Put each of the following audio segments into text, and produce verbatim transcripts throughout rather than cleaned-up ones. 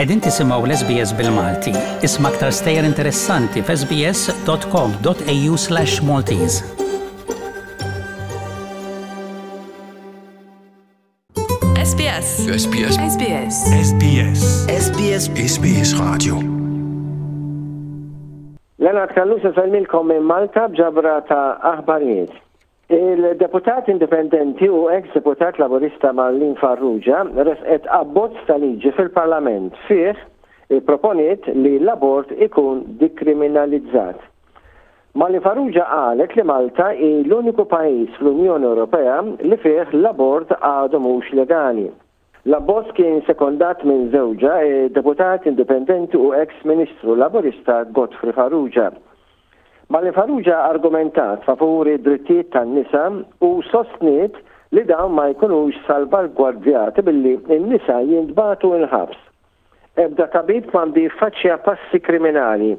Qegħdin tisimgħu l-S B S bil-Malti. Isma' aktar stejjer interessanti f'S B S dot com dot A U slash Maltese. S B S. S B S. S B S. S B S. S B S. S B S Radio. Leonard Callus isellmilkom minn Malta b'ġabra ta' aħbarijiet. Il-deputat indipendenti u ex-deputat Laburista Marlene Farrugia resqet abbozz ta' liġi fil-Parlament fih proponiet li l-abort ikun dikriminalizzat. Marlene Farrugia qalet li Malta hi l-uniku pajjiż fl-Unjoni Ewropea li fih l-abort għadu mhux legali. L-abbozz kien sekondat minn żewġha, deputat indipendenti u ex-ministru Laburista Godfrey Farrugia. Marlene Farrugia argumentat favur id-drittijiet tan-nisa u sostniet li dawn ma jkunux salvagwardjati billi n-nisa jintbagħtu il-ħabs. Ebda tabib m'għandu jiffaċċja passi kriminali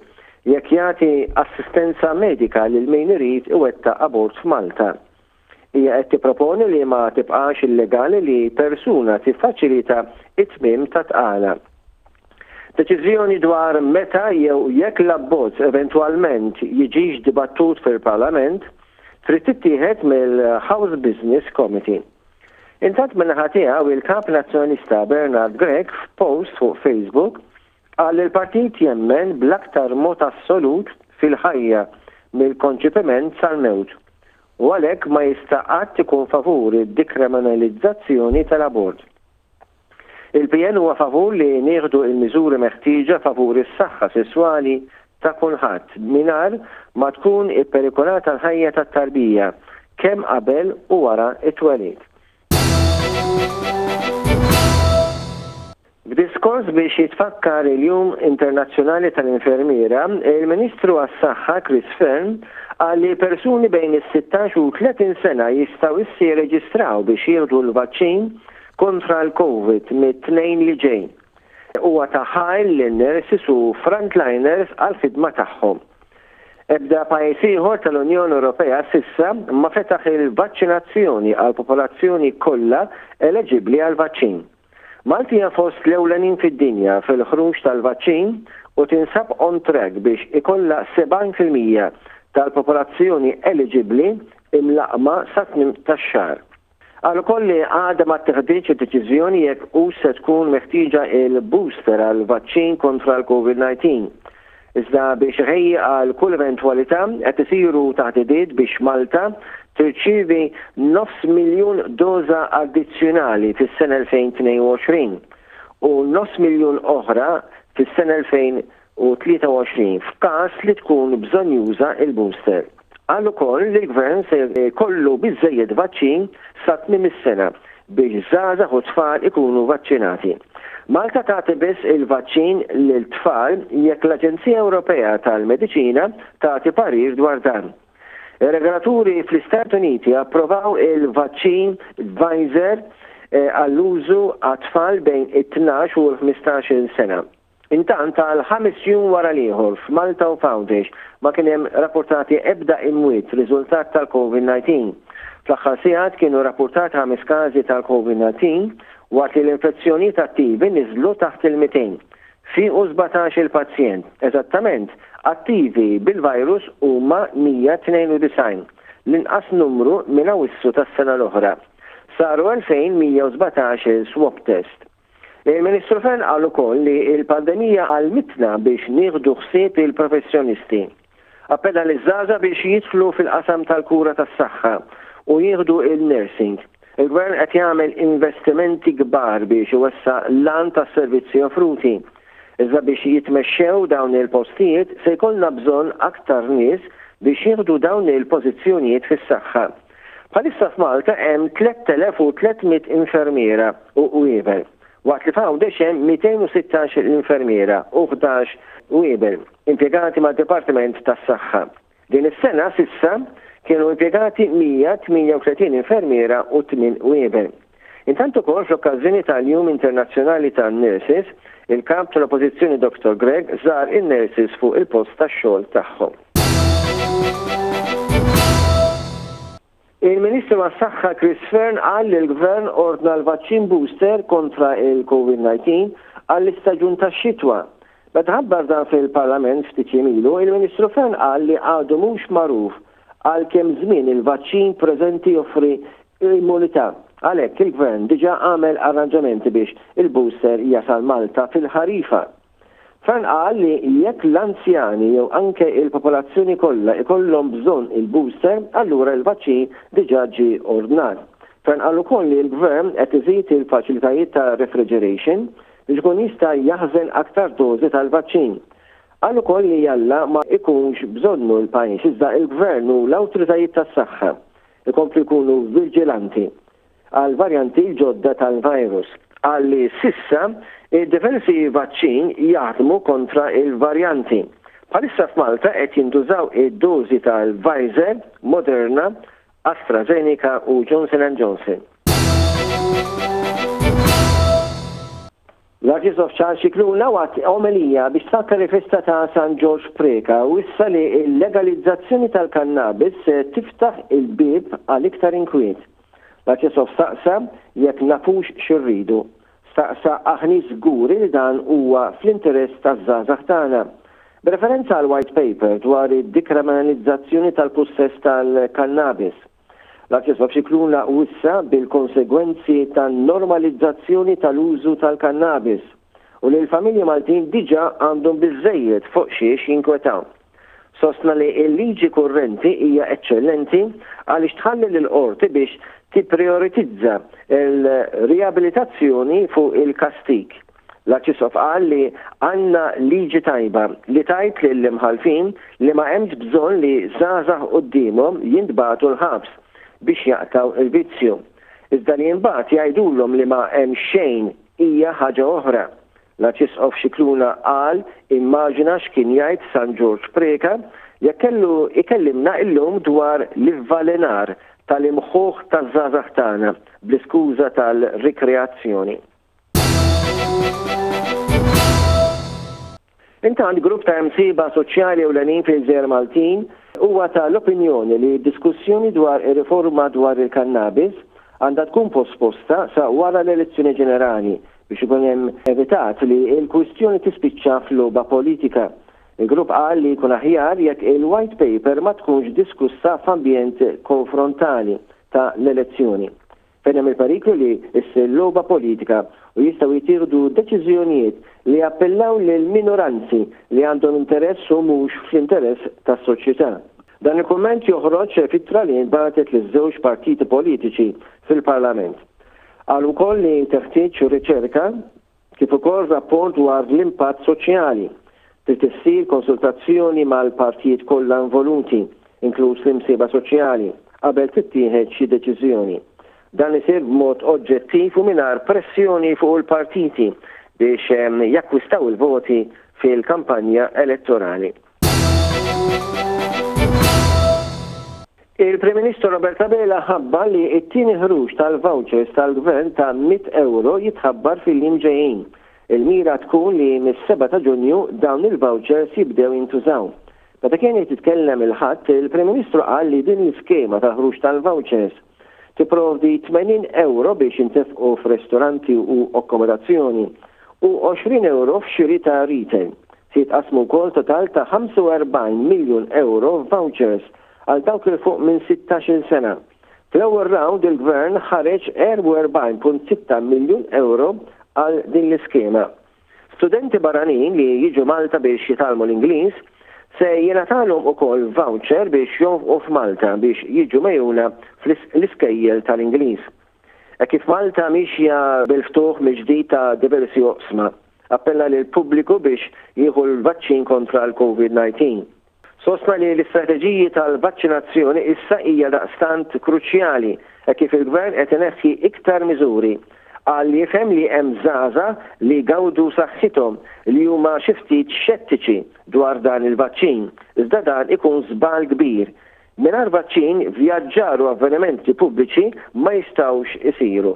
jekk jagħti assistenza medika lil min irid iwettaq abort f'Malta. Hija qed tipproponi li ma tibqax illegali li persuna tiffaċilita it-tmiem ta' tqala. Deċiżjoni dwar meta jew jekk l-abbozz eventwalment jiġix dibattut fil-Parlament trid tittieħed mill-House Business Committee. Intant, min-naħa tiegħu, il-kap Nazzjonalista Bernard Grech f'post fuq Facebook qal li l-partit jemmen bl-aktar mod assolut fil-ħajja mill-konċipiment sal-mewt u għalhekk ma jista' qatt ikun favur id-dikriminalizzazzjoni tal-abort. Il-P N huwa favur li nieħdu il-miżuri meħtieġa favur is-saħħa sesswali ta' kulħadd mingħajr ma tkun ipperikolata l-ħajja tat-tarbija kemm qabel u wara it-twelid. B'diskors biex jitfakkar il-Jum Internazzjonali tal-Infermiera, il-Ministru għas-Saħħa Chris Fearne qal li persuni bejn is-sittax u tletin sena jistgħu issa jirreġistraw biex jieħdu l-vaċċin kontra l-Covid mit-Tnejn li ġej. Huwa ta ħajr lin-nurses u frontliners għal-ħidma tagħhom. Ebda pajjiż ieħor tal-Unjoni Ewropea s'issa ma fetaħ il-vaċċinazzjoni għal popolazzjoni kollha eleġibbli għal vaċċin. Malta hija fost l-ewlenin fid-dinja fil-ħruġ tal-vaċċin u tinsab on track biex ikollha sebgħin fil-mija tal-popolazzjoni eliġibbli imlaqqma sa tmiem tax-xahar. Qal ukoll li għadha ma tteħditx deċiżjoni jekk u se tkun meħtieġa il-booster għal vaċċin kontra l-Covid nineteen. Iżda biex iħejji għal kull eventwalità qed isiru taħdidiet biex Malta tirċievi nofs miljun doża addizzjonali fis-sena elfejn u tnejn u għoxrin u nofs miljun oħra fis-sena elfejn u tlieta u għoxrin f'każ li tkun bżonnjuża il-booster. Qal ukoll li l-gvern se jkollu biżejjed vaċċin sa tmiem is-sena biex żgħażagħ u tfal ikunu vaċċinati. Malta tagħti biss il-vaċċin lil tfal jekk l-Aġenzija Ewropea tal-Mediċina tagħti parir dwar dan. Ir-regolaturi fl-Istati Uniti approvaw il-vaċċin Pfizer eh, għall-użu għat-tfal bejn it-tnax u l-ħmistax-il sena. Intant, għal ħames jum wara l-ieħor f'Malta u f'Għawdex ma kien hemm rapportati ebda imwiet riżultat tal-Covid nineteen. Fl-aħħar sigħat kienu rapportati ħames każi tal-Covid nineteen waqt li l-infezzjonijiet attivi niżlu taħt il-mitejn. Fiequ sbatax il-pazjent, eżattament attivi bil-virus huma mija tnejn u disgħin, l-inqas numru minn Awissu tas-sena l-oħra. Saru elfejn u mija u sbatax swab test. Il-Ministru Fearne qal ukoll li il-pandemija għallmitna biex nieħdu ħsieb il-professjonisti. Appella liż-żgħażagħ biex jidħlu fil-qasam tal-kura tas-saħħa u jieħdu il-nursing. Il-gvern qed jagħmel investimenti kbar biex iwessa' l-għan tas-servizzi offruti. Iżda biex jitmexxew dawn il-postijiet se jkollna bżonn aktar nies biex jieħdu dawn il-pożizzjonijiet fis-saħħa. Bħalissa f'Malta hemm tliet elef u tliet mitt infermiera u qwiebel, waqt li f'Għawdex hemm mitejn u sittax infermiera u ħdax qwiebel impjegati mad-Dipartiment tas-Saħħa. Din is-sena s'issa kienu impjegati mija u tmienja u tletin infermiera u tmien qwiebel. Intant ukoll, fl-okkażjoni tal-Jum Internazzjonali tan-Nurses, il-kap tal-Oppożizzjoni Doctor Grech żar in-nurses fuq il-post tax-xogħol tagħhom. Il-Ministru għas-Saħħa Chris Fearne qal li l-Gvern ordna l-vaċċin booster kontra il-Covid nineteen għall-istaġun tax-xitwa. Meta ħabbar dan fil-Parlament ftit jiem ilu, il-Ministru Fearne qal li għadu mhux magħruf għal kemm żmien il-vaċċin preżenti joffri immunità. Għalhekk il-Gvern diġà għamel arranġamenti biex il-booster jasal Malta fil-ħarifa. Fearne qal li jekk l-anzjani jew anke il-popolazzjoni kollha ikollhom bżonn il-booster, allura il-vaċċin diġà ġie ordnat. Fearne qal ukoll li l-Gvern qed iżid il-faċilitajiet ta' refrigeration biex ikun jista' jaħżen aktar dożi tal-vaċċin. Qal ukoll li jalla ma ikunx bżonnu l-pajjiż, iżda il-Gvern u l-awtoritajiet tas-saħħa ikomplu jkunu vigilanti għal varjanti ġodda tal-virus. Qal li s'issa id-diversi vaċċin jaħdmu kontra il-varjanti. Bħalissa f'Malta qed jintużaw id-dożi tal-Pfizer, Moderna, AstraZeneca u Johnson and Johnson. L-Arċisqof Charles Scicluna waqt omelija biex tfakkar il-festa ta' San Ġorġ Preca u issa li l-legalizzazzjoni tal-kannabis se tiftaħ il-bieb għal iktar inkwiet. L-Arċisqof staqsa jekk nafux x'irridu. Staqsa aħni żguri li dan huwa fl-interess taż-żgħażagħ tagħna. B'referenza għal white paper dwar id-dikriminalizzazzjoni tal-pussess tal-kannabis. L-Arċisqof Scicluna wissa bil-konsegwenzi tan-normalizzazzjoni tal-użu tal-kannabis u li l-familji Maltin diġà għandhom biżżejjed fuq xiex jinkwetaw. Sostna li l-liġi kurrenti hija eċċellenti għaliex tħalli lill-qorti biex tipprioritizza l-riabilitazzjoni fuq il-kastig. L-Arċisqof qal li għandna liġi tajba li tajt lill-imħallfin li ma hemmx bżonn li żgħażagħ quddiemhom jintbagħtu l-ħabs biex jaqtaw il-vizzju. Iżda li imbagħad jgħidulhom li ma hemm xejn hija ħaġa oħra. L-Arċisqof Scicluna qal immaġina x'kien jgħid San Ġorġ Preca jekk kellu ikellimna illum dwar l-ivvalenar tal-imħuħ taż-żgħażagħ tagħna bl-iskuża tal-rikreazzjoni. Intant grupp ta' msiba soċjali ewlenin fil-Gżejjer Maltin huwa tal-opinjoni li diskussjoni dwar ir-riforma dwar il-kannabis għandha tkun posposta sa wara l-elezzjoni ġenerali biex ikun hemm evitat li l-kwistjoni tispiċċa f'logħba politika. Il-grupp qal li jkun aħjar jekk il-white paper ma tkunx diskussa f'ambjent konfrontali ta' l-elezzjoni. Fejn hemm il-periklu li ssir logħba politika u jistgħu jittieħdu deċiżjonijiet li jappellaw lil minoranzi li għandhom interess u mhux fl-interess tas-soċjetà. Dan il-kumment joħroġ f'ittra li nbagħtet liż-żewġ partiti politiċi fil-Parlament. Qal ukoll li teħtieġ riċerka kif ukoll rapport dwar l-impatt soċjali. Trid issir konsultazzjoni mal-partijiet kollha involuti, inkluż l-imsieba soċjali, qabel tittieħed xi deċiżjoni. Dan isir b'mod oġġettiv u mingħajr pressjoni fuq il-partiti biex jakkwistaw il-voti fil-kampanja elettorali. Il-Prim Ministru Robert Abela ħabbar li t-tieni ħruġ tal-vouchers tal-Gvern ta' mitt euro jitħabbar fil-jiem ġejjin. Il-mira tkun li mis-seba' ta' Ġunju dawn il-vouchers jibdew jintużaw. Meta kien qed jitkellem il-Ħadd, il-Prim Ministru qal li din l-iskema ta' ħruġ tal-vouchers tipprovdi tmenin euro biex jintefqu f'ristoranti u akkomodazzjoni u għoxrin euro f'xiri ta' retail. Se jitqasmu wkoll total ta' ħamsa u erbgħin miljun euro f'vouchers għal dawk il fuq minn sittax-il sena. Fl-ewwel round il-Gvern ħareġ erbgħa u erbgħin punt sitta miljun euro għal din l-iskema. Studenti barranin li jiġu Malta biex jitgħallmu l-Ingliż se jingħatalhom ukoll voucher biex jonfqu f'Malta biex jiġu megħjuna fl-iskejjel tal-Ingliż. Hekk kif Malta mixja bil-ftuħ mill-ġdid ta' diversi oqsma, appella lill-pubbliku biex jieħu l-vaċċin kontra l-Covid nineteen. Sostna li l-istrateġiji tal-vaċċinazzjoni issa hija daqstant kruċjali hekk kif il-Gvern qed ineħħi iktar miżuri. Qal li jifhem li hemm żgħażagħ li jgawdu saħħithom li huma xi ftit xettiċi dwar dan il-vaċċin, iżda dan ikun żball kbir. Mingħajr vaċċin, vjaġġar u avvenimenti pubbliċi ma jistgħux isiru.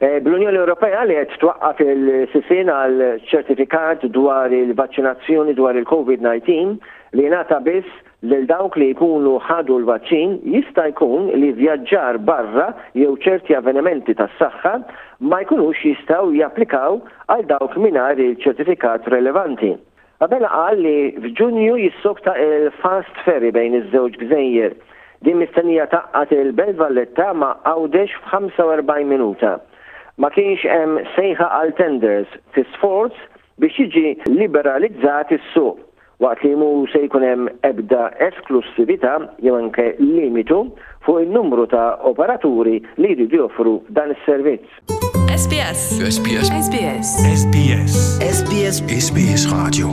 Bl-Unjoni Ewropea li qed twaqqaf il-sisien għal ċertifikat dwar il-vaċċinazzjoni dwar il-Covid nineteen li jingħata biss Lil dawk li jkunu ħadu l-vaċċin jista' jkun li vjaġġar barra jew ċerti avvenimenti tas-saħħa ma jkunux jistgħu japplikaw għal dawk mingħajr il-ċertifikat relevanti. Abela qal li f'Ġunju jissokta il-fast ferry bejn iż-żewġ gżejjer. Din mistennija tgħaqqad il-Belt Valletta ma' Għawdex f'ħamsa u erbgħin minuta. Ma kienx hemm sejħa għal tenders fi sforz biex jiġi liberalizzat is-suq, waqt li mhu se jkun hemm ebda esklusività jew anke limitu fuq in-numru ta' operaturi li jridu joffru dan is-servizz. S B S. S B S. S B S. S B S. S B S. S B S Radio.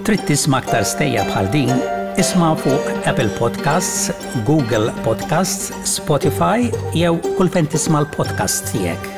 Trid tisma' aktar stejjer bħal din? Isma' fuq Apple Podcasts, Google Podcasts, Spotify jew kull fejn tisma' l-podcast tiegħek.